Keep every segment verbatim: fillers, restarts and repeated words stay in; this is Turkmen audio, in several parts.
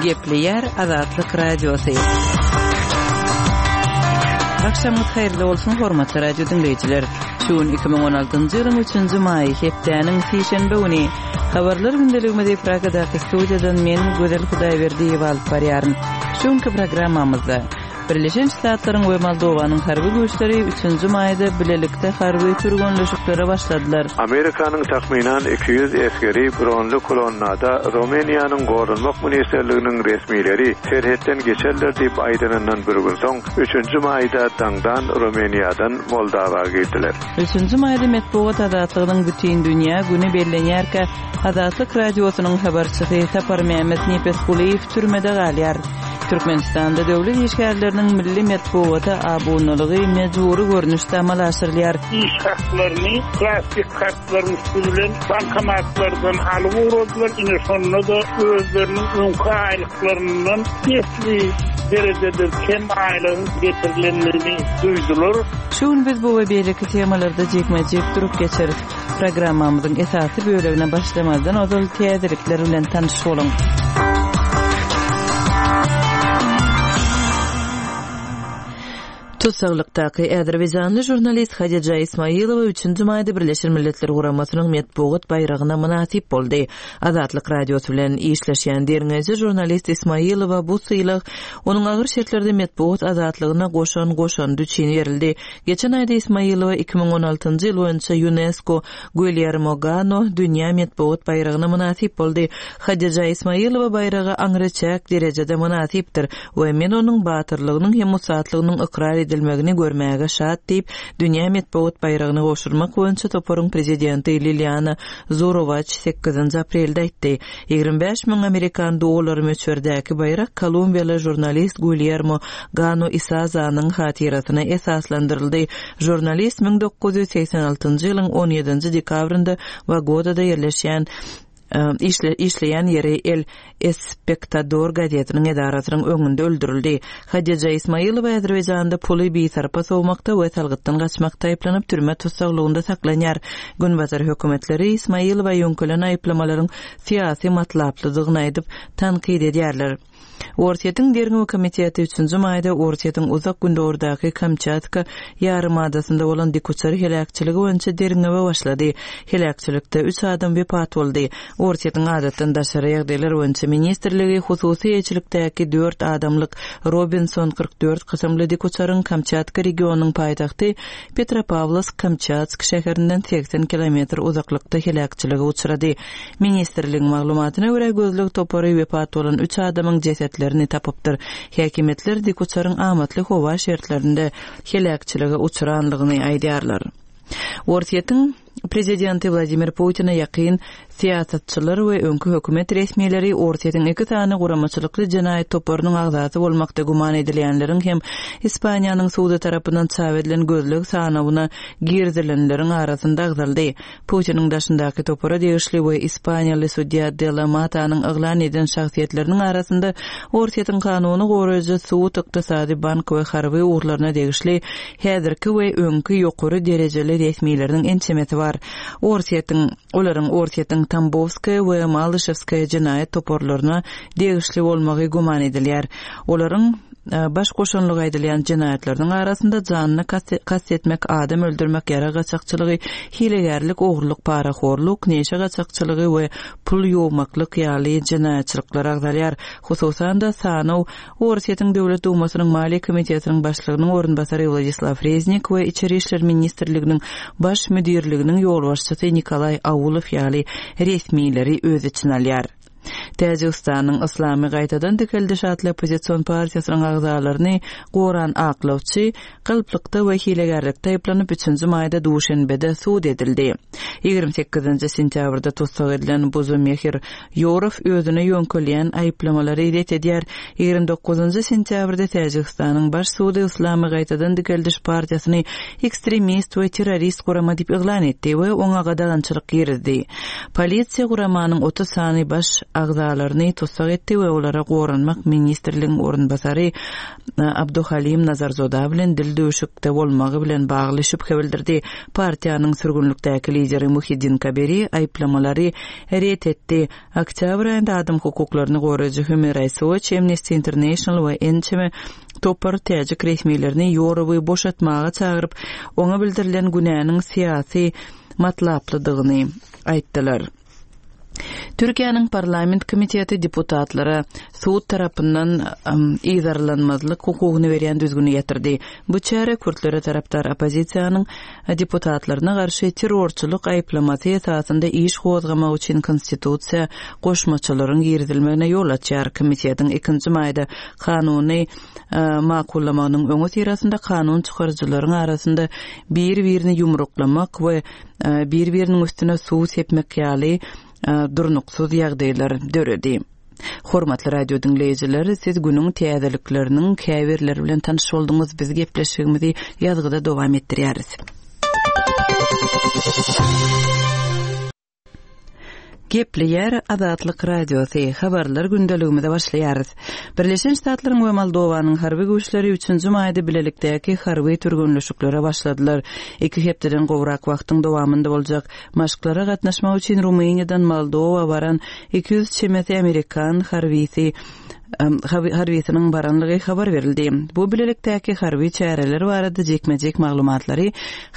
Gepleýär Azatlyk Radiosy. Agşamyňyz haýyrly bolsun, hormatly radio diňleýjiler. Şu gün iki müň on altynjy ýylyň üçünji maýy, hepdäniň sişenbe güni. Habarlar gündeligimizi Pragadaky studiýadan men Gözel Hudaýberdiýewa alyp barýaryn. Şu günki programmamyzda Birleşen Ştatlaryň we Moldowanyň harby güýçleri üçünji maýda bilelikde harby türgenleşiklere başladylar. Amerikanyň takmynan iki ýüz esgeri bronly kolonnada Rumyniýanyň Goranmak ministrliginiň resmileri serhetden geçerler diýip aýdanyndan bir gün soň üçünji maýda daňdan Rumyniýadan Moldawa girdiler. Üçünji maýda metbugat azatlygynyň bütin dünýä güni bellenýärkä Azatlyk radiosynyň habarçysy Saparmämmet Nepesgulyýew türmede galýar. Türkmenistanda döwlet işgärleriniň milli metbugata abunalygy mejbury görnüşde amala aşyrylýar. Iş haklaryny plastik kartlaryň üstü bilen bankomatlardan alyp ugradylar. Ine şonda da özleriniň öňki aýlyklaryndan esli derejede kem aýlygyň getirilendigini duýdular. Şu gün biz bu we beýleki temalarda jikme-jik durup geçeris. Programmamyzyň esasy bölegine başlamazdan ozal täzelikler bilen tanyş boluň. Tutsaglykdaky Azerbaýjanly žurnalist Hadija Ismailowa üçünji maýda Birleşen Milletler Guramasynyň metbugat baýragyna mynasyp boldy. Azatlyk radiosy bilen işleşýän derňeýji žurnalist Ismailowa bu sylag onuň agyr şertlerde metbugat azatlygyna goşan goşandy üçin berildi. Geçen aýda Ismailowa iki müň on altynjy ýyl boýunça UNESCO Guillermo Gano dünýä metbugat baýragyna mynasyp boldy. Hadija Ismailowa baýraga aňryçäk derejede mynasypdyr we men onuň batyrlygynyň hem ussatlygynyň ykrar edilmegini görmäge şat diýip, dünýä metbugat baýragyny gowşurmak boýunça toparyň prezidenti Liliana Zurowaç sekizinji aprelde aýtdy. Ýigrimi bäş müň amerikan dollary möçberdäki baýrak kolumbiýaly žurnalist Guillermo Gano Isazanyň hatyrasyna esaslandyryldy. Žurnalist müň dokuz ýüz segsen altynjy ýylyň on ýedinji dekabrynda Bogotada ýerleşýän, e, işle-, işleýän ýeri El Espectador gazetiniň edarasynyň öňünde öldürildi. Hadija Ismailowa Azerbaýjanda puly bisarpa sowmakda we salgytdan gaçmakda aýyplanyp türme tutsaglygynda saklanýar. Günbatar hökümetleri Ismailowa ýöňkelen aýyplamalaryň syýasy matlaplydygyny aýdyp tankyt edýärler. Orsýetiň derňew komiteti üçünji maýda Orsýetiň uzak gündogurdaky Kamçatka ýarymadasynda bolan dikuçar heläkçiligi boýunça derňewe başlady. Heläkçilikde üç adam wepat boldy. Orsýetiň adatdan daşary ýagdaýlar boýunça ministrligi hususy eýeçilikdäki dört adamlyk Robinson kyrk dört kysymly dikuçaryň Kamçatka regionynyň paýtagty Petropavlovsk-Kamçatsk şäherinden seksen kilometr uzaklykda heläkçilige uçrady. Ministrligiň maglumatyna görä gözleg topary wepat bolan üç adamyň jesetlerini tapypdyr. Häkimiýetler dikuçaryň amatly howa şertlerinde heläkçilige uçranlygyny aýdýarlar. Orsýetiň prezidenti Wladimir Putin'e ýakyn syýasatçylar we öňki hökümet resmileri Orsýetiň iki sany guramaçylykly jenaýat toparynyň agzasy bolmakda güman edilýänleriň hem Ispaniýanyň sudy tarapyndan çap edilen gözleg sanawyna girizilenleriň arasynda agzaldy. Putiniň daşyndaky topara degişli we Ispaniýaly sudýa De La Matanyň yglan eden şahsyýetleriniň arasynda Orsýetiň kanuny goraýjy sud, ykdysady, bank we harby ugurlaryna degişli häzirki we öňki ýokary derejeli resmileriniň ençemesi bar. Orsýetiň, olaryň Orsýetiň Tambowskaýa we Malyşewskaýa jenaýat toparlaryna degişli bolmagy güman edilýär. Olaryň, e, baş goşunlygy aýdylýan jenaýatlarynyň arasynda janyny kast-, kast etmek, adam öldürmek, ýara gaçakçylygy, hilegärlik, ogurlyk, parahorluk, neşe gaçakçylygy we pul ýuwmaklyk ýaly jenaýatçylyklar agzalýar. Hususan-da sanaw Orsýetiň Döwlet Dumasynyň Maliýe komitetiniň başlygynyň orunbasary Wladislaw Reznik we Içeri işler ministrliginiň baş müdirliginiň ýolbaşçysy Nikolaý Aulow ýaly resmileri öz içine alýar. Täjigistanyň Islamy gaýtadan dikeldiş atly oppozision partiýasynyň agzalaryny goran aklawçy galplykda we hilegärlikde aýyplanyp üçünji maýda Duşenbede sud edildi. Ýigrimi sekizinji sentýabrda tussag edilen Buzumehir Ýorow özüne ýöňkelýän aýyplamalary ret edýär. Ýigrimi dokuzynjy sentýabrda Täjigistanyň baş sudy Islamy gaýtadan dikeldiş partiýasyny ekstremist we terrorist gurama diýip yglan etdi we oňa gadagançylyk girizdi. Polisiýa guramanyň otuz sany baş agzasy agzalaryny tussag etdi we olara Goranmak ministrligiň orunbasary Abduhalim Nazarzoda bilen dildüwşükde bolmagy bilen bagly şübhe bildirdi. Partiýanyň sürgünlikdäki lideri Muhiddin Kabiri aýyplamalary ret etdi. Oktýabr aýynda adam hukuklaryny goraýjy Human Rights Watch, Amnesty International we ençeme topar täjik resmilerini Ýorowy boşatmaga çagyryp, oňa bildirilen günäniň syýasy matlaplydygyny aýtdylar. Türkiýäniň parlament komiteti deputatlara sud tarapyndan yzarlanmazlyk hukugyny berýän düzgüni ýatyrdy. Bu çäre kürtlere tarapdar oppozisiýanyň deputatlaryna garşy terrorçylyk aýyplamasy esasynda iş gozgamak üçin konstitusiýa goşmaçalaryň girizilmegine ýol açýar. Komitetiň ikinji maýda kanuny makullamagynyň öňüsyrasynda kanun çykaryjylaryň arasynda bir-birini ýumruklamak we bir-biriniň üstüne suw sepmek ýaly durnuksyz ýagdaýlar döredi. Hormatly radio diňleýjiler, siz günüň täzelikleriniň käbirleri bilen tanyş bolduňyz. Biz gepleşigimizi ýazgyda dowam etdirýäris. Gepleýär Azatlyk Radiosy, habarlar gündeligimize başlaýarys. Birleşen Ştatlaryň we Moldowanyň harby güýçleri üçünji maýda bilelikdäki harby türgenleşiklere başladylar. Iki hepdeden gowrak wagtyň dowamynda boljak maşklara gatnaşmak üçin Rumyniýadan Moldowa baran iki ýüz çemesi amerikan harbisi harbisiniň baranlygy habar berildi. Bu bilelikdäki harby çäreler barada jikme-jik maglumatlary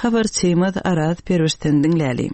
habarçymyz Araz Perwişden diňläli.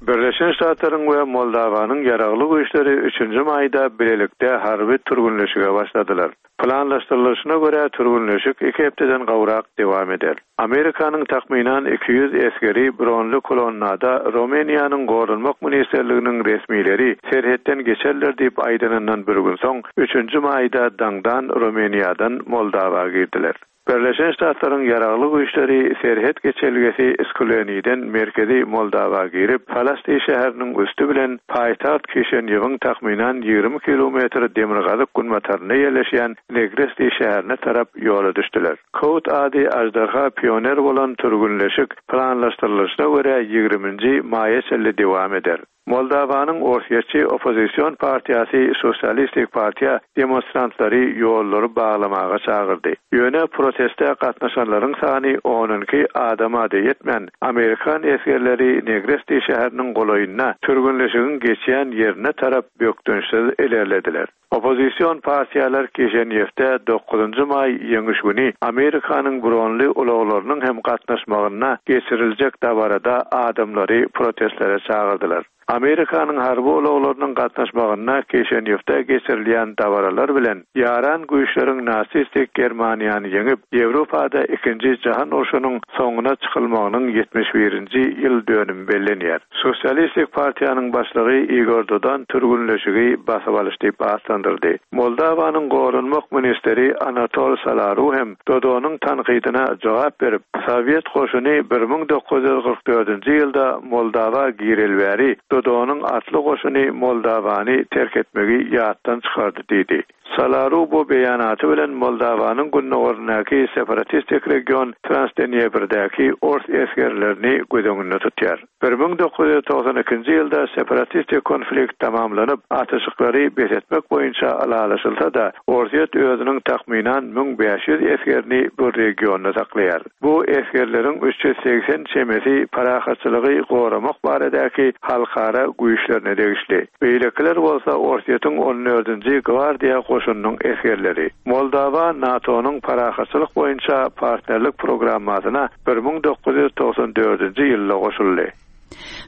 Birleşen Ştatlaryň we Moldowanyň ýaragly güýçleri üçünji maýda bilelikde harby türgenleşige başladylar. Planlaşdyrylyşyna görä türgenleşik iki hepdeden gowrak dowam eder. Amerikanyň takmynan iki ýüz esgeri bronly kolonnada Rumyniýanyň Goranmak ministrliginiň resmileri serhetden geçerler diýip aýdanyndan bir gün soň üçünji maýda daňdan Rumyniýadan Moldowa girdiler. Birleşen Ştatlaryň ýaragly güýçleri serhet geçelgesi Skuleniden merkezi Moldowa girip, Falasti şäheriniň üstü bilen paýtagt Kişinýewiň takmynan ýigrimi kilometr demirgazyk günbatarynda ýerleşýän Negresti şäherine tarap ýola düşdüler. Kod ady Ajdarha pioner bolan türgünleşik planlaşdyrylyşyna görä ýigriminji maýa çenli dowam eder. Moldowanyň Orsýetçi oppozision partiýasy Sosialistik partiýa demonstrantlary ýollary baglamaga çagyrdy. Ýöne proteste gatnaşanlaryň sany on iki adama ýetmän, Amerikan esgerleri Negresti şäheriniň golaýynda türgünleşigiň geçýän ýerine tarap bökdençsiz ilerlediler. Oppozision partiýalar Kişinýewde dokuzynjy maý ýeňiş güni Amerikanyň bronly ulaglarynyň hem gatnaşmagyna geçiriljek dabarada adamlary protestlere çagyrdylar. Amerikanyň harby ulaglarynyň gatnaşmagyna Kişinýewde geçirilýän dabaralar bilen ýaran güýçleriň nasistik Germaniýany ýeňip, Ýewropada ikinji jahan urşunyň soňuna çykylmagynyň ýetmiş birinji ýyl dönümi bellenýär. Sosialistik partiýanyň başlygy Igor Dodon türgünleşigi basyp alyş diýip atlandyrdy. Moldowanyň goranmak ministeri Anatol Salaru hem Dodonyň tankydyna jogap berip, Sowet goşuny bir müň dokuz ýüz kyrk dördünji ýylda Moldowa girelbäri Dodonyň atly goşuny Moldowany terk etmegi ýatdan çykardy diýdi. Salaru bu beýanaty bilen Moldowanyň gündogaryndaky separatistik region Transdnieprirdäki ors esgerlerini göz öňünde tutýar. bir müň dokuz ýüz togsan ikinji ýylda separatistik konflikt tamamlanyp, atyşyklary bes etmek boýunça ylalaşylsa-da, Orsýet özüniň takmynan müň bäş ýüz esgerini bu regionda saklaýar. Bu esgerleriň üç ýüz segsen çemesi parahatçylygy goramak baradaky halkara güýçlerine degişli. Beýlekiler bolsa Orsýetiň on dördünji gwardiýa goşunynyň esgerleri. Moldowa NATO-nyň parahatçylyk boýunça partnerlik programmasyna bir müň dokuz ýüz togsan dördünji ýylda goşuldy.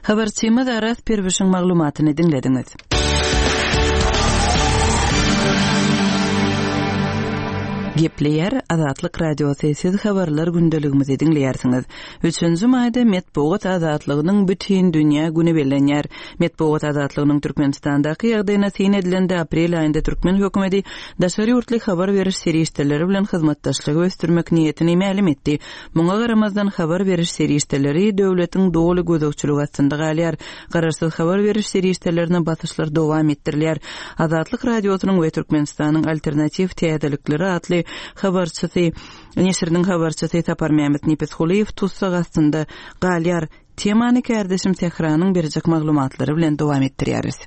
Habarçymyz Araz Perwişiň maglumatyny diňlediňiz. Gepleýär Azatlyk Radiosy, siz habarlar gündeligimizi diňleýärsiňiz. Üçünji maýda metbugat azatlygynyň bütin dünýä güni bellenýär. Metbugat azatlygynyň Türkmenistandaky ýagdaýyna syn edilende aprel aýynda türkmen hökümeti daşary ýurtly habar beriş serişdeleri bilen hyzmatdaşlygy ösdürmek niýetini mälim etdi. Muňa garamazdan habar beriş serişdeleri döwletiň doly gözegçiligi astynda galýar. Garaşsyz habar beriş serişdelerine basyşlar dowam etdirilýär. Azatlyk Radiosynyň we Türkmenistanyň alternatiw täzelikleri atly habarçysy, neşiriniň habarçysy Sapar Mehmet Nepesgulyýew tussag astynda galýar. Temany kärdeşim Tähranyň berjek maglumatlary bilen dowam etdirýäris.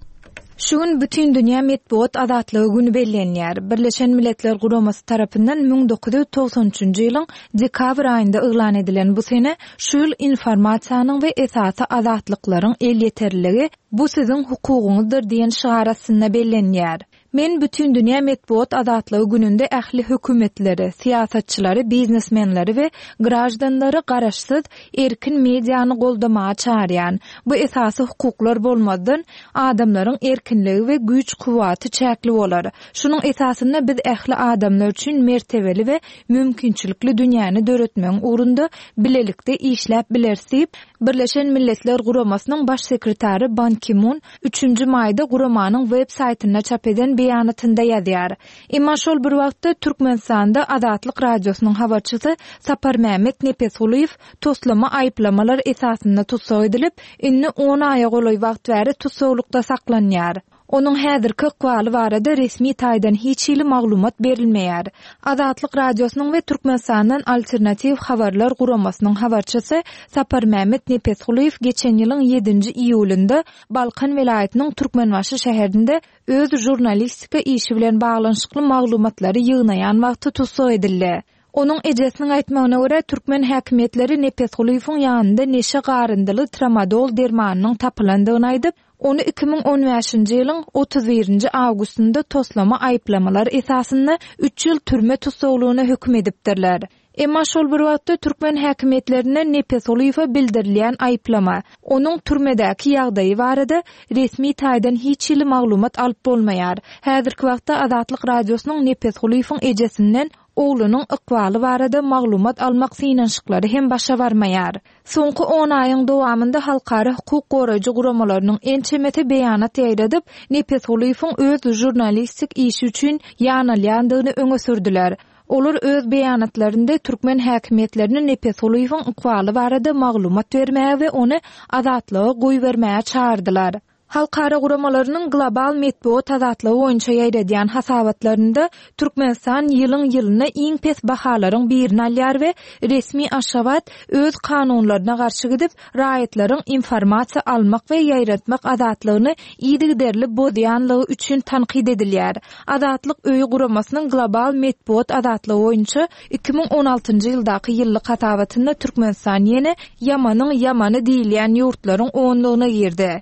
Şu gün Bütindünýä metbugat azatlygy güni bellenýär. Birleşen Milletler Guramasy tarapyndan müň dokuz ýüz togsan üçünji ýylyň dekabr aýynda yglan edilen bu sene şu ýyl informasiýanyň we esasy azatlyklaryň elýeterliligi bu siziň hukugyňyzdyr diýen şygar astynda bellenýär. Men Bütindünýä metbugat azatlygy gününde ähli hökümetleri, syýasatçylary, biznesmenleri we graždanlary garaşsyz erkin mediany goldamaga çağırýan. Bu esasy hukuklar bolmazdan adamlaryň erkinligi we güýç kuwwaty çäkli bolar. Şunuň esasynda biz ähli adamlar üçin mertebeli we mümkinçilikli dünýäni döretmegiň ugrunda bilelikde işläp bileris diýip, Birleşen Milletler Guramasynyň baş sekretary Ban Ki-mun üçünji maýda guramanyň web saýtynda çap eden beýanatynda ýazýar. Emma şol bir wagtda Türkmenistanda Azatlyk Radiosynyň habarçysy Saparmämmet Nepesgulyýew toslama aýyplamalar esasynda tussag edilip, indi on aýa golaý wagt bäri tussaglykda saklanýar. Onuň häzirki ykbaly barada resmi taýdan hiç hili maglumat berilmeýär. Azatlyk Radiosynyň we Türkmenistandan Alternatiw habarlar guramasynyň habarçysy Saparmämmet Nepesgulyýew geçen ýylyň ýedinji iýulynda Balkan welaýatynyň Türkmenbaşy şäherinde öz žurnalistika işi bilen baglanyşykly maglumatlary ýygnaýan wagty tussag edildi. Onuň ejesiniň aýtmagyna görä türkmen häkimiýetleri Nepesgulyýewiň ýanynda neşe garyndyly tramadol dermanynyň tapylandygyny aýdyp, ony iki müň on bäşinji ýylyň otuz birinji awgustynda toslama aýyplamalar esasynda üç ýyl türme tussaglygyna höküm edipdirler. Emma şol bir wagtda türkmen häkimiýetlerinden Nepesgulyýewe bildirilýän aýyplama, onuň türmedäki ýagdaýy barada resmi taýdan hiç hili maglumat alyp bolmaýar. Häzirki wagtda Azatlyk Radiosynyň Nepesgulyýewiň ejesinden oglunyň ykbaly barada maglumat almak synanyşyklary hem başa barmaýar. Soňky on aýyň dowamynda halkara hukuk goraýjy guramalarynyň ençemesi beýanat ýaýradyp, Nepesgulyýewiň öz žurnalistik işi üçin ýanalýandygyny öňe sürdüler. Olar öz beýanatlarynda türkmen häkimiýetlerini Nepesgulyýewiň ykbaly barada maglumat bermäge we ony azatlyga goýbermäge çağırdylar. Halkara guramalarynyň global metbugat azatlygy boýunça ýaýradýan hasabatlarynda Türkmenistan ýylyň ýylyna iň pes bahalaryň birini alýar we resmi Aşgabat öz kanunlaryna garşy gidip, raýatlaryň informasiýa almak we ýaýratmak azatlygyny yzygiderli bozýanlygy üçin tankyt edilýär. Azatlyk öýi guramasynyň global metbugat azatlygy boýunça iki müň on altynjy ýyldaky ýyllyk hasabatynda Türkmenistan ýene ýamanyň ýamany diýilýän ýurtlaryň onlugyna girdi.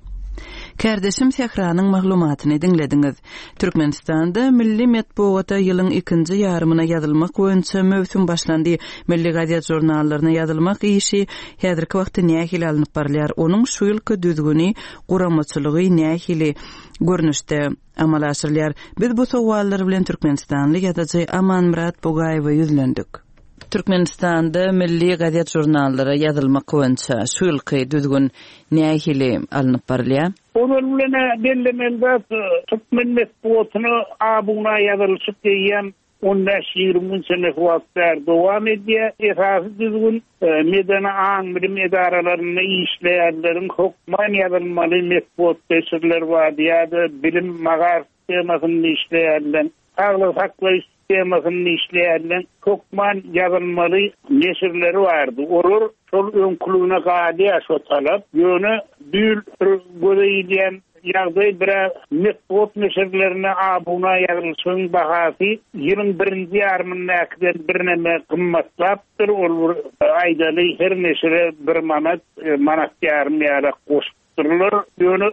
Kardeşim Sähranyň maglumatyny diňlediňiz. Türkmenistanda milli metbugata ýylyň ikinji ýarymyna ýazylmak boýunça möwsüm başlandy. Milli gazet žurnallaryna ýazylmak işi häzirki wagtda nähili alnyp barylýar? Onuň şu ýylky düzgüni, guramaçylygy nähili görnüşde amala aşyrylýar? Biz bu sowallar bilen Türkmenistanly ýazyjy Amanmyrat Bugaýewe ýüzlendik. Türkmenistanda milli gazet žurnallara ýazylmak boýunça şu ýylky düzgün nähili alnyp barylýar? Olar bilen bellemeli zat, türkmen metbugatyna abuna ýazylyşyp diýen on bäş ýigrimi gün çenli wagt bär dowam edýär. Esasy düzgün, e, medeni aň-bilim edaralarynda işleýänleriň hökman ýazylmaly metbugat neşirleri bar ýa-da bilim magar sistemasynda işleýänler, saglyk saklaýyş sistemasynda işleýänler hökman ýazylmaly neşirleri bardy. Olar şol öňkülügine galýar şo talap. Ýöne bir göze ilýän ýagdaý bire metbugat neşirlerine abuna ýazylyşyň bahasy ýylyň birinji ýarymyndakydan birneme gymmatlapdyr. Ol bir aýdaly her neşire bir manat, e, manat ýarym ýaly goşupdyrlar. Ýöne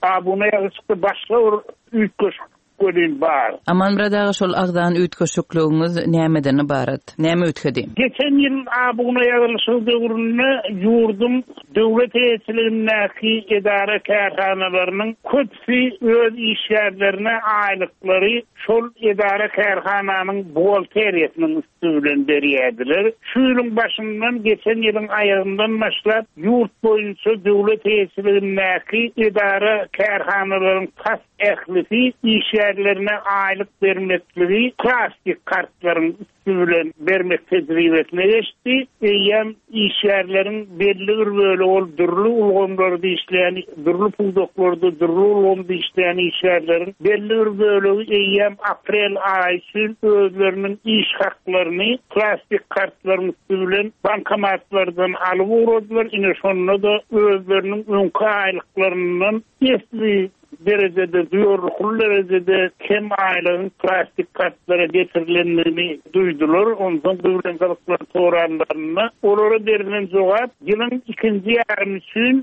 abuna ýazylyşykda başga bir üýtgeşik gölün bar. Amanmyrat aga, şol agzan üýtgeşikligiňiz nämeden ibarat? Näme üýtgedi? Geçen ýyl abuna ýazylyşyk döwründe ýurdum döwlet eýeçiligindäki edara kärhanalarynyň köpüsi öz işgärlerine aýlyklary şol edara kärhananyň buhgalteriýasynyň üstü bilen berýärdiler. Şu ýylyň başyndan geçen ýylyň aýagyndan başlap ýurt boýunça döwlet eýeçiligindäki edara kärhanalaryň tas ählisi işgärlerine aýlyk bermekligi plastik kartlaryň üstü bilen bermek tejribesine geçdi. Eýem işgärleriň belli bir bölegi ol dürli ulgamlarda işleýän, dürli pudaklarda, dürli ulgamda işleýän işgärleriň belli bir bölegi eýem aprel aýy üçin özleriniň iş haklaryny plastik kartlaryň üstü bilen bankomatlardan alyp ugradylar. Ine şonda da özleriniň öňki aýlyklaryndan esli derejede, duýarlykly derejede kem aýlygyň plastik kartlara getirilendigini duýdular. Ondan bilen gyzyklan soranlarynda olara berilen jogap ýylyň ikinji ýarymy üçin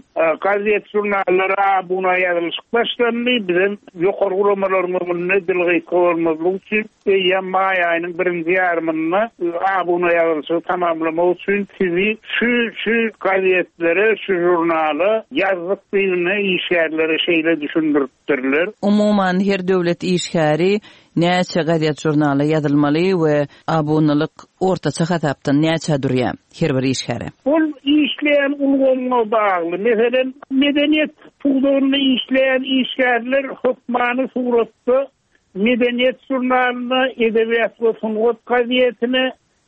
gazet žurnallara abuna ýazylyşyk başlandy. Bizem ýokary guramalaryň öňünde dil gysga bolmazlyk üçin eýýäm maý aýynyň birinji ýarymynda abuna ýazylyşygy tamamlamak üçin sizi şu şu gazetlere, şu žurnala ýazdyk diýene işgärlere şeýle düşündiripdirler. Umuman her döwlet işgäri näçe gazet žurnala ýazylmaly we abunalyk ortaça hasapdan näçe durýar her bir işgäre? Ol işleýän ulgamyna bagly. Meselem, medeniýet pudagynda işleýän işgärler hökmany suratda medeniýet žurnalyna, edebiýat we sungat gazetine,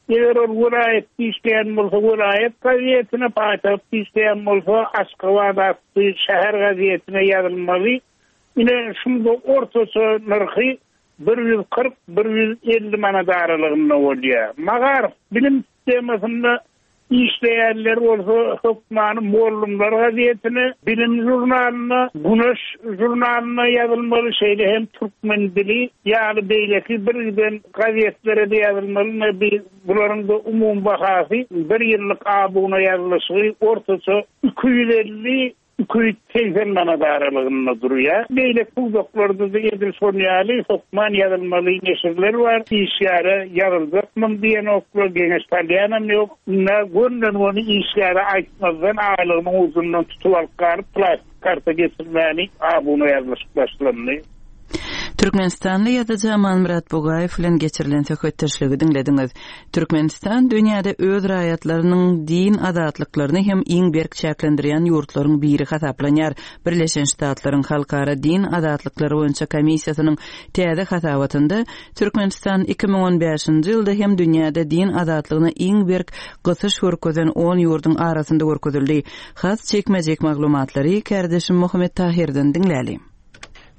eger ol welaýat işleýän bolsa welaýat gazetine, paýtagt işleýän bolsa Aşgabat atly şäher gazetine ýazylmaly. Ine şunda ortaça nyrhy bir ýüz kyrk, bir ýüz elli manat aralygynda bolýar. Magaryf bilim sistemasynda işleýänler bolsa hökmany Mollumlar gazetine, bilim žurnalyna, Güneş žurnalyna ýazylmaly, şeýle hem Türkmen dili ýaly beýleki bir giden gazetlere de ýazylmaly. Ne bir bularyň da umum bahasy bir ýyllyk abuna ýazylyşy ortaça iki ýüz elli, iki ýüz segsen manat aralygynda durýar. Beýleki pudaklarda da edil şon ýaly hökman ýazylmaly neşirler bar. Işgäre ýazyljakmyň diýen oklar geňeş salýanam ýok. Ne gönden ony işgäre aýtmazdan aýlygynyň uzundan tutup alyp galyp plastik karta geçirmäni abuna ýazylyşyk başlandy. Türkmenistanly ýazyjy Amanmyrat Bugaýew bilen geçirilen söhbetdeşligi diňlediňiz. Türkmenistan dünýäde öz raýatlarynyň din azatlyklaryny hem iň berk çäklendirýän ýurtlaryň biri hasaplanýar. Birleşen Ştatlaryň Halkara Din Azatlyklary boýunça komissiýasynyň täze hasabatynda Türkmenistan iki müň on bäşinji ýylda hem dünýäde din azatlygyna iň berk gysyş görkezen on ýurduň arasynda görkezildi. Has çekmejek maglumatlary kardeşim Muhammet Tahirden diňläli.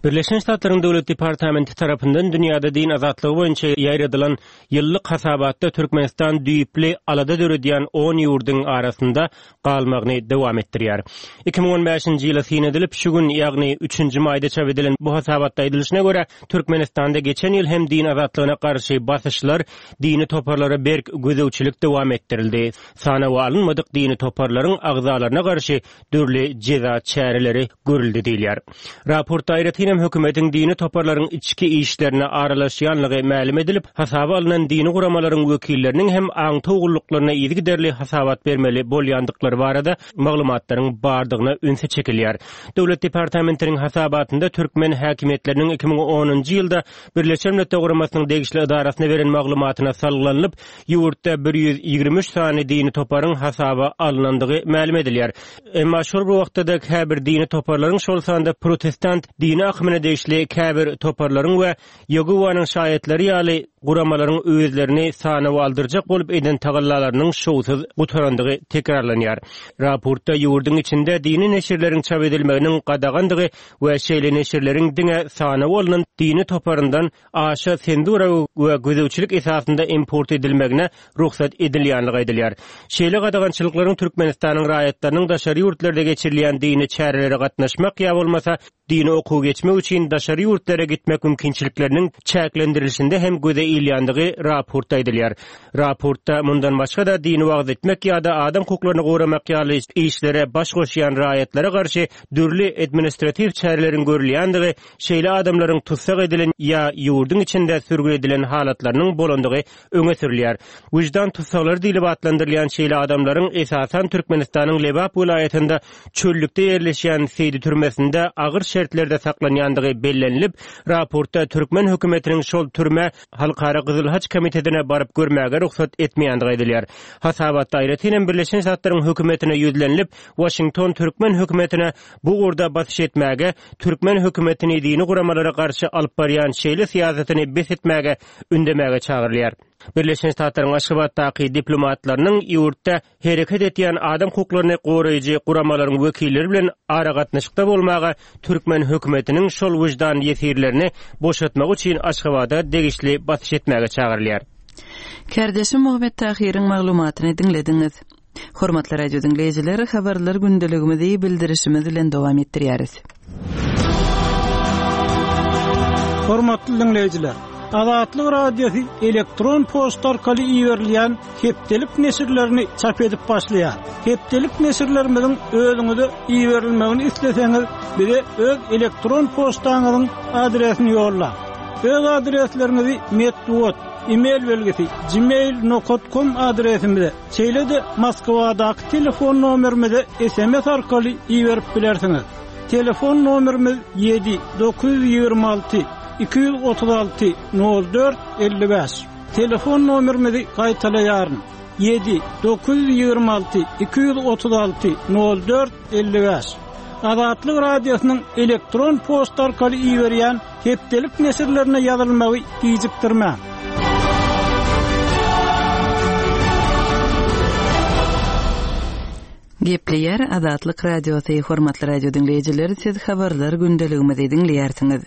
Birleşen Ştatlaryň Döwlet Departamenti tarapyndan dünýäde din azatlygy boýunça ýaýradylan ýyllyk hasabatda Türkmenistan düýpli alada döredýän on ýurduň arasynda galmagyny dowam etdirýär. Iki müň on bäşinji ýyla syn edilip, şu gün, ýagny üçünji maýda çap edilen bu hasabatda aýdylyşyna görä, Türkmenistanda geçen ýyl hem din azatlygyna garşy basyşlar, dini toparlara berk gözegçilik dowam etdirildi. Sanawa alynmadyk dini toparlaryň agzalaryna garşy dürli jeza çäreleri görüldü diýilýär. Raportda aýratyn hem hökümetiň dini toparlaryň içki işlerine aralaşýanlygy mälim edilip, hasaba alynan dini guramalaryň wekilleriniň hem aňtaw gulluklaryna yzygiderli hasabat bermeli bolýandyklary barada maglumatlaryň bardygyna ünsi çekilýär. Döwlet Departamentiniň hasabatynda türkmen häkimiýetleriniň iki müň onunjy ýylda Birleşen Milletler Guramasynyň degişli edarasyna beren maglumatyna salgylanyp, ýurtda bir ýüz ýigrimi üç sany dini toparyň hasaba alynandygy mälim edilýär. Emma şol bir wagtda da käbir dini toparlaryň, şol sanda protestant dini akymyna degişli käbir toparlaryň we Ýehowanyň şaýatlary ýaly guramalaryň özlerini sanawa aldyrjak bolup eden tagallalarynyň şowsuz gutarandygy tekrarlanýar. Raportda ýurduň içinde dini neşirleriň çap edilmeginiň gadagandygy we şeýle neşirleriň diňe sanawa alynan dini toparyndan aşa senzura we gözegçilik esasynda import edilmegine rugsat edilýänligi aýdylýar. Şeýle gadagançylyklaryň Türkmenistanyň raýatlarynyň daşary ýurtlarda geçirilýän dini çärelere gatnaşmak ýa bolmasa dini okuw geçmek üçin daşary ýurtlara gitmek mümkinçilikleriniň çäklendirilişinde hem göze ilýändigi raportda aýdylýar. Raportda mundan başga da dini wagz etmek ýa-da adam hukuklaryny goramak ýaly işlere baş goşýan raýatlara garşy dürli administratiw çäreleriň görülýändigi, şeýle adamlaryň tutsak edilen ýa ýurduň içinde sürgün edilen halatlarynyň bolandygy öňe sürülýär. Wyždan tutsaklary diýlip atlandyrylýan şeýle adamlaryň esasan Türkmenistanyň Lebap welaýatynda çöllükde ýerleşýän Seýdi türmesinde agyr şertlerde saklanýandygy bellenilip, raportda türkmen hökümetiniň şol türme Halkara Gyzyl Haç Komitetine baryp görmäge rugsat etmeýändigi aýdylýar. Hasabatda aýratyn hem Birleşen Ştatlaryň hökümetine ýüzlenilip, Washington türkmen hökümetine bu ugurda basyş etmäge, türkmen hökümetini dini guramalara garşy alyp barýan şeýle syýasatyny bes etmäge ündemäge çagyrylýar. Birleşen Ştatlaryň Aşgabatdaky diplomatlarynyň ýurtda hereket etýän adam hukuklaryny goraýjy guramalaryň wekilleri bilen aragatnaşykda bolmaga türkmen hökümetiniň şol wyždan ýesirlerini boşatmak üçin Aşgabada degişli basyş etmäge çagyrylýar. Kardeşim Muhammet Tahiriň maglumatyny diňlediňiz. Hormatly radio diňleýjiler, habarlar gündeligimizi bildirişimiz bilen dowam etdirýäris. Hormatly dinleýjiler, Azatlyk Radiosy elektron poçta arkaly iberilýän hepdelik neşirlerini çap edip başlaýar. Hepdelik neşirlerimiziň özüňize iberilmegini isleseňiz, bize öz elektron poçtaňyzyň adresini ýollaň. Öz adresleriňizi metbugat, e-mail belgisi gmail nokta com adresimize, şeýle-de Moskwadaky telefon nomerimize S M S arkaly iberip bilersiňiz. Telefon nomerimiz ýedi dokuz ýüz ýigrimi alty iki ýüz otuz alty nol dört elli bäş. Telefon nomerimizi gaýtalaýaryn. ýedi dokuz ýüz ýigrimi alty iki ýüz otuz alty nol dört elli bäş. Azatlyk Radiosynyň elektron poçta arkaly iberýän hepdelik neşirlerine ýazylmagy gijikdirmäň. Gepleýär Azatlyk Radiosy, hormatly radio diňleýjiler, siz habarlar gündeligimizi diňleýärsiňiz.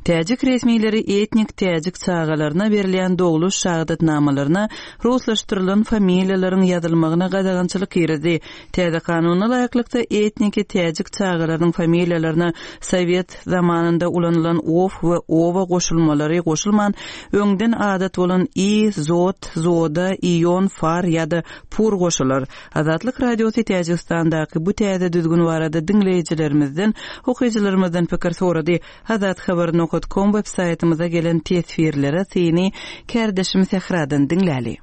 Täjik resmileri etnik täjik çagalaryna berilýän dogluş şahadatnamalaryna ruslaşdyrylan familiýalaryň ýazylmagyna gadagançylyk girizdi. Täze kanuna laýyklykda etniki täjik çagalarynyň familiýalaryna sowet zamanynda ulanylan ov we ova goşulmalary goşulman, öňden adat bolan i, zot, zoda, ion, far ýa-da pur goşular. Azatlyk Radiosy Täjigistandaky bu täze düzgün barada diňleýjilerimizden, okyjylarymyzdan pikir sorady. Azathabar nokta com web saýtymyza gelen teswirlere syny kärdeşim Sähradan diňläli.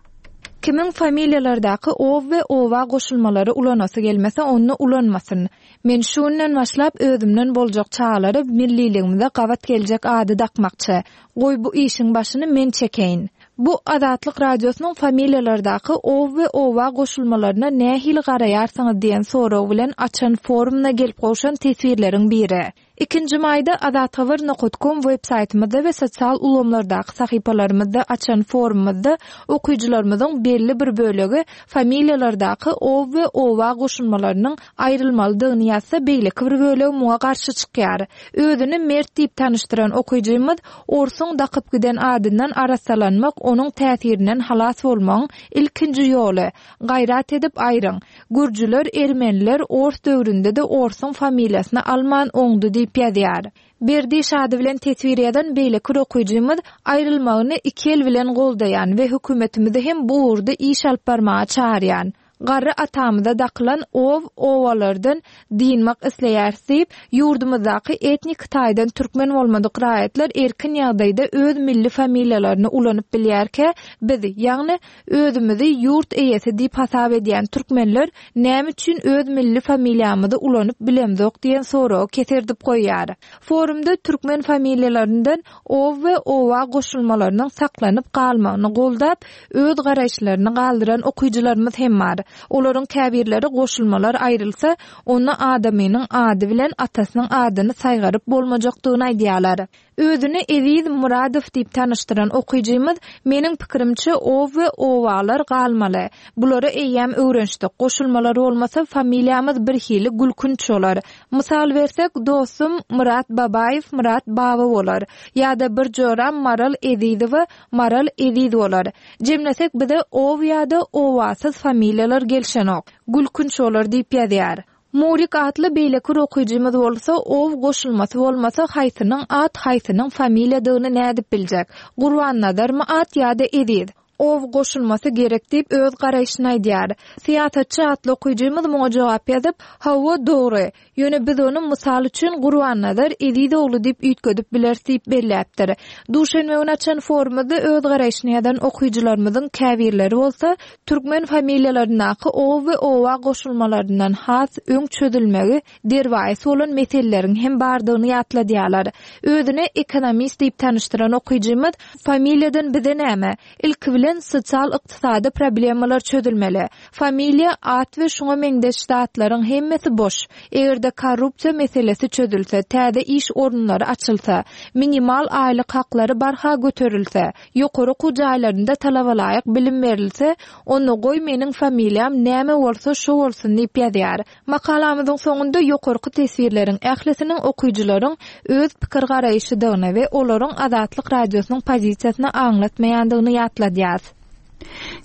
Kimiň familiýalardaky ov we ova goşulmalary ulanasy gelmese, ony ulanmasyn. Men şu günden başlap özümden boljak çagalara milliligimize gabat geljek ady dakmakçy. Goý bu işiň başyny men çekeýin. Bu Azatlyk Radiosynyň familiýalardaky ov we ova goşulmalaryna nähili garaýarsyňyz diýen sorag bilen açan forumuna gelip gowşan teswirleriň biri. Ikinji maýda azathabar nokta com web saýtymyzda we sosial ulgamlardaky sahypalarymyzda açan forumymyzda okyjylarymyzyň belli bir bölegi familiýalardaky ov we ova goşulmalarynyň aýrylmalydygyny ýazsa, beýleki bir bölegi muňa garşy çykýar. Özüni Mert diýip tanyşdyran okyjymyz orsuň dakyp giden adyndan arassalanmak onuň täsirinden halas bolmagyň ilkinji ýoly. Gaýrat edip aýryň. Gürjüler, ermeniler ors döwründe-de orsuň familiýasyny alman oňdy diýip ýazýar. Berdi Şady bilen teswir ýazan beýleki okyjymyz aýrylmagyny iki el bilen goldaýan we hökümetimizi hem bu ugurda iş alyp barmaga çagyrýan. Garry atamyza dakylan ov ovalardan dynmak isleýär diýip, ýurdumyzdaky etnik taýdan türkmen bolmadyk raýatlar erkin ýagdaýda öz milli familiýalaryny ulanyp bilýärkä, biz, ýagny özümizi ýurt eýesi diýip hasap edýän türkmenler näme üçin öz milli familiýamyzy ulanyp bilemzok diýen soragy keserdip goýýar. Forumda türkmen familiýalaryndan ov we ova goşulmalarynyň saklanyp galmagyny goldap, öz garaýyşlaryny galdyran okyjylarymyz hem bar. Olaryň käbirleri goşulmalar aýrylsa, onda adamynyň ady bilen atasynyň adyny saýgaryp bolmajakdygyny aýdýarlar. Özüni Eziz Muradow diýip tanyşdyran okyjymyz meniň pikirimçe ov we ovalar galmaly. Bulara eýýäm öwrenişdik. Goşulmalar bolmasa familiýamyz bir hili gülkünç bolar. Mysal bersek, dostum Murat Babaýew Murat Baba bolar. Ýa-da bir joram Maral Ezizowa Maral Eziz bolar. Jemlesek bize ov ýa-da ovasyz familiýalar gelşenok. Gülkünç bolar diýip ýazýar. Murik atly beýleki okyjymyz bolsa, ov goşulmasy bolmasa haýsynyň at, haýsynyň familiýadygyny nädip biljek? Gurbannazarmy at ýa-da Eziz? Ov goşulmasy gerek diýip öz garaýşyny aýdýar. Syýasatçy atly okyjymyz muňa jogap ýazyp, hawa dogry. Ýöne biz ony mysal üçin Gurbannazar Eziz ogly diýip üýtgedip bileris diýip belläpdir. Duşenbe güni açan forumymyzda öz garaýşyny ýazan okyjylarymyzyň käbirleri bolsa, türkmen familiýalaryndaky ov we ova goşulmalaryndan has öň çözülmegi derwaýys bolan meseleleriň hem bardygyny ýatladýarlar. Özüni ekonomist diýip tanyşdyran okyjymyz familiýadan bize näme? Ilki bilen sosial ykdysady problemalar çözülmeli. Familiýa, at we şuňa meňzeş zatlaryň hemmesi boş. Eger-de korrupsiýa meselesi çözülse, täze iş orunlary açylsa, minimal aýlyk haklary barha göterilse, ýokary okuw jaýlarynda talabalaýyk bilim berilse, onda goý meniň familiýam näme bolsa şo bolsun diýip ýazýar. Makalamyzyň soňunda ýokarky teswirleriň ählisiniň okyjylaryň öz pikir garaýşydygyny we olaryň Azatlyk Radiosynyň pozisiýasyny aňlatmaýandygyny ýatladýar.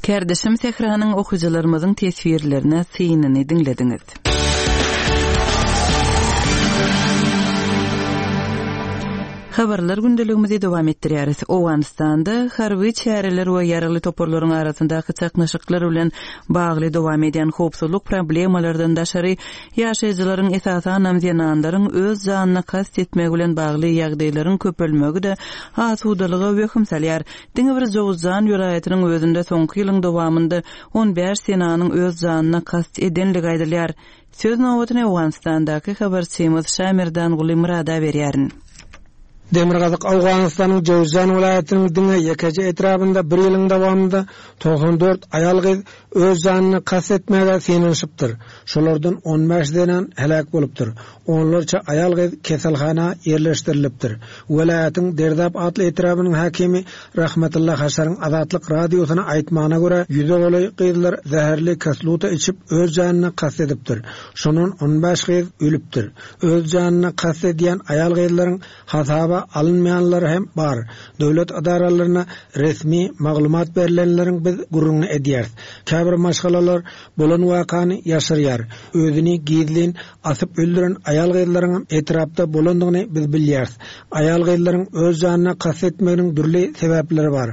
Kärdeşim Sähranyň okyjylarymyzyň teswirlerine synyny diňlediňiz. Habarlar gündeligimizi dowam etdirýäris. Owganystanda harby çäreler we ýaragly toparlaryň arasyndaky çaknyşyklar bilen bagly dowam edýän howpsuzlyk problemalardan daşary ýaşaýjylaryň esasanam zenanlaryň öz janyna kast etmegi bilen bagly ýagdaýlaryň köpelmegi-de asudalyga wehim salýar. Diňe bir Jowzjan welaýatynyň özünde soňky ýylyň dowamynda on bäş zenanyň öz janyna kast edenligi aýdylýar. Söz nobatyny Owganystandaky habarçymyz Şamerdanguly Murada berýärin. Demirgazyk Owganystanyň Jowzjan welaýatynyň diňe ýekeje etrabynda bir ýylyň dowamynda togsan dört aýal gyz öz janyna kast etmäge synanyşypdyr. Şolardan on bäş zenan heläk bolupdyr. Onlarça aýal gyz keselhana ýerleşdirilipdir. Welaýatyň Derdap atly etrabynyň hakimi Rahmetulla Haşaryň Azatlyk radiosyna aýtmagyna görä ýüze golaý gyzlar zäherli kisluta içip öz janyna kast edipdir. Şondan on bäş gyz ölüpdir. Öz janyna kast edýän aýal gyzlaryň hasaba alynmaýanlary hem bar. Döwlet edaralaryna resmi maglumat berilenleriň biz gürrüňini edýäris. Käbir maşgalalar bolan wakany ýaşyrýar. Özüni gizlin asyp öldüren aýal gyzlaryň hem etrapda bolandygyny biz bilýäris. Aýal gyzlaryň öz janyna kast etmeginiň dürli sebäpleri bar.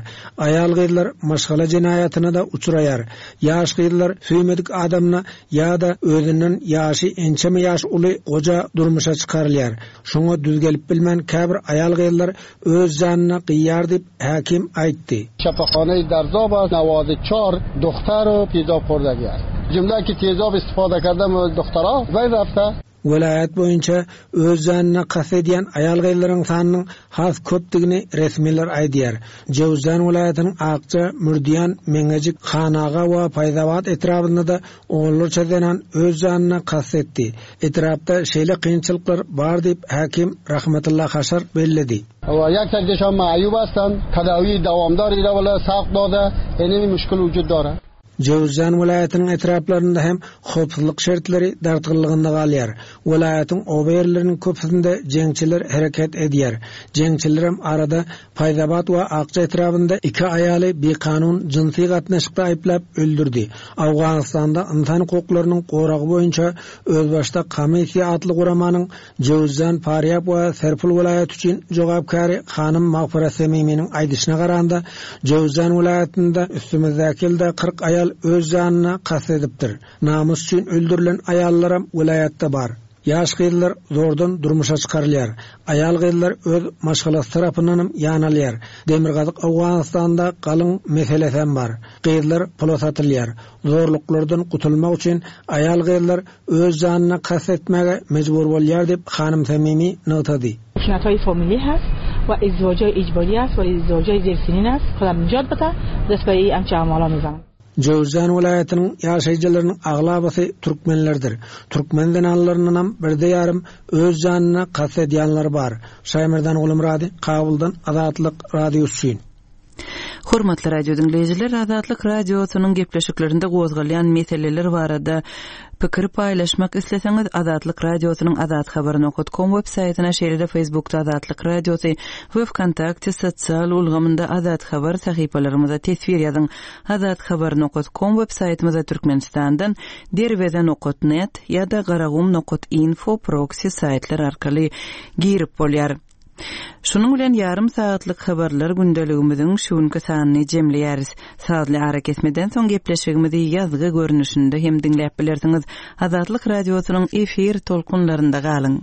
Aýal gyzlar maşgala jenaýatyna da uçraýar. Ýaş gyzlar söýmedik adamyna ýa-da özünden ýaşy ençeme ýaş uly goja durmuşa çykarylýar. Şoňa düz gelip bilmän käbir aýal gyzlar öz janyna gyýar diýip hakim aýtdy. Şapaxanay Derzab است، نود و چهار دختر و تیزاب خوردگی است. جمله که تیزاب استفاده کردم دخترها بین رفته. Welaýat boýunça öz janyna kast edýän aýal gyzlaryň sanynyň has köpdügini resmiler aýdýar. Jowzjan welaýatynyň Akça, Mürdiýan, Meňejik, Hanaga we Paýzabat etrabynda da onlarça zenan öz janyna kast etdi. Etrapda şeýle kynçylyklar bar diýip hakim Rahmetulla Haşar belledi. و یک تکشان معیوب هستند، تداوی دوامدار ایرا ولا ساق داده، اینمی مشکل وجود داره. Jowzjan welaýatynyň etraplarynda hem howpsuzlyk şertleri dartgynlygynda galýar. Welaýatyň oba ýerleriniň köpüsinde jeňçiler hereket edýär. Jeňçiler hem arada Paýzabat we Akça etrabynda iki aýaly bikanun jynsy gatnaşykda aýyplap öldürdi. Owganystanda insan hukuklarynyň goragy boýunça özbaşdak komissiýa atly guramanyň Jowzjan, Farýab we Serpul welaýaty üçin jogapkary hanym Magfira Semiminiň aýdyşyna garanda Jowzjan welaýatynda üstümizdäki ýylda kyrk aýal öz janyna kast edipdir. Namus üçin öldürilen aýallaram welaýatda bar. Ýaş gyzlar zordan durmuşa çykarylýar. Aýal gyzlar öz maşgalasy tarapyndan hem ýanalýar. Demirgazyk Owganystanda galyň meselesi hem bar. Gyzlar pula satylýar. Zorluklardan gutulmak üçin aýal gyzlar öz janyna kast etmäge mejbur bolýar diýip hanym Semimi nygtady. خشونت‌های فامیلی هست و ازدواج‌های اجباری است و ازدواج‌های زیر سنین است. خدا نجات بده دست به این همچه اعمالا میزنن. Jowzjan welaýatynyň ýaşaýjylarynyň aglabasy türkmenlerdir. Türkmen zenanlaryndan hem birde ýarym öz janyna kast edýänler bar. Şaýmerdan Gulumrady, Kabuldan Azatlyk Radiosy üçin. Hormatly radio dinleýjiler, Azatlyk Radiosynyň gepleşiklerinde gozgalýan meseleler barada pikir paýlaşmak isleseňiz, Azatlyk Radiosynyň azathabar nokta com web saýtyna, şeýle-de Facebookda Azatlyk Radiosy we Vkontakte sosial ulgamynda Azat Habar sahypalarymyza teswir ýazyň. Azathabar nokta com web saýtymyza Türkmenistandan derweze nokta net ýa-da garagum nokta info proxy saýtlar arkaly girip bolýar. Şunuň bilen ýarym saatlyk habarlar gündeligimiziň şu günki sanyny jemleýäris. Sazly ara kesmeden soň gepleşigimizi ýazgy görnüşinde hem diňläp bilersiňiz. Azatlyk Radiosynyň efir tolkunlarynda galyň.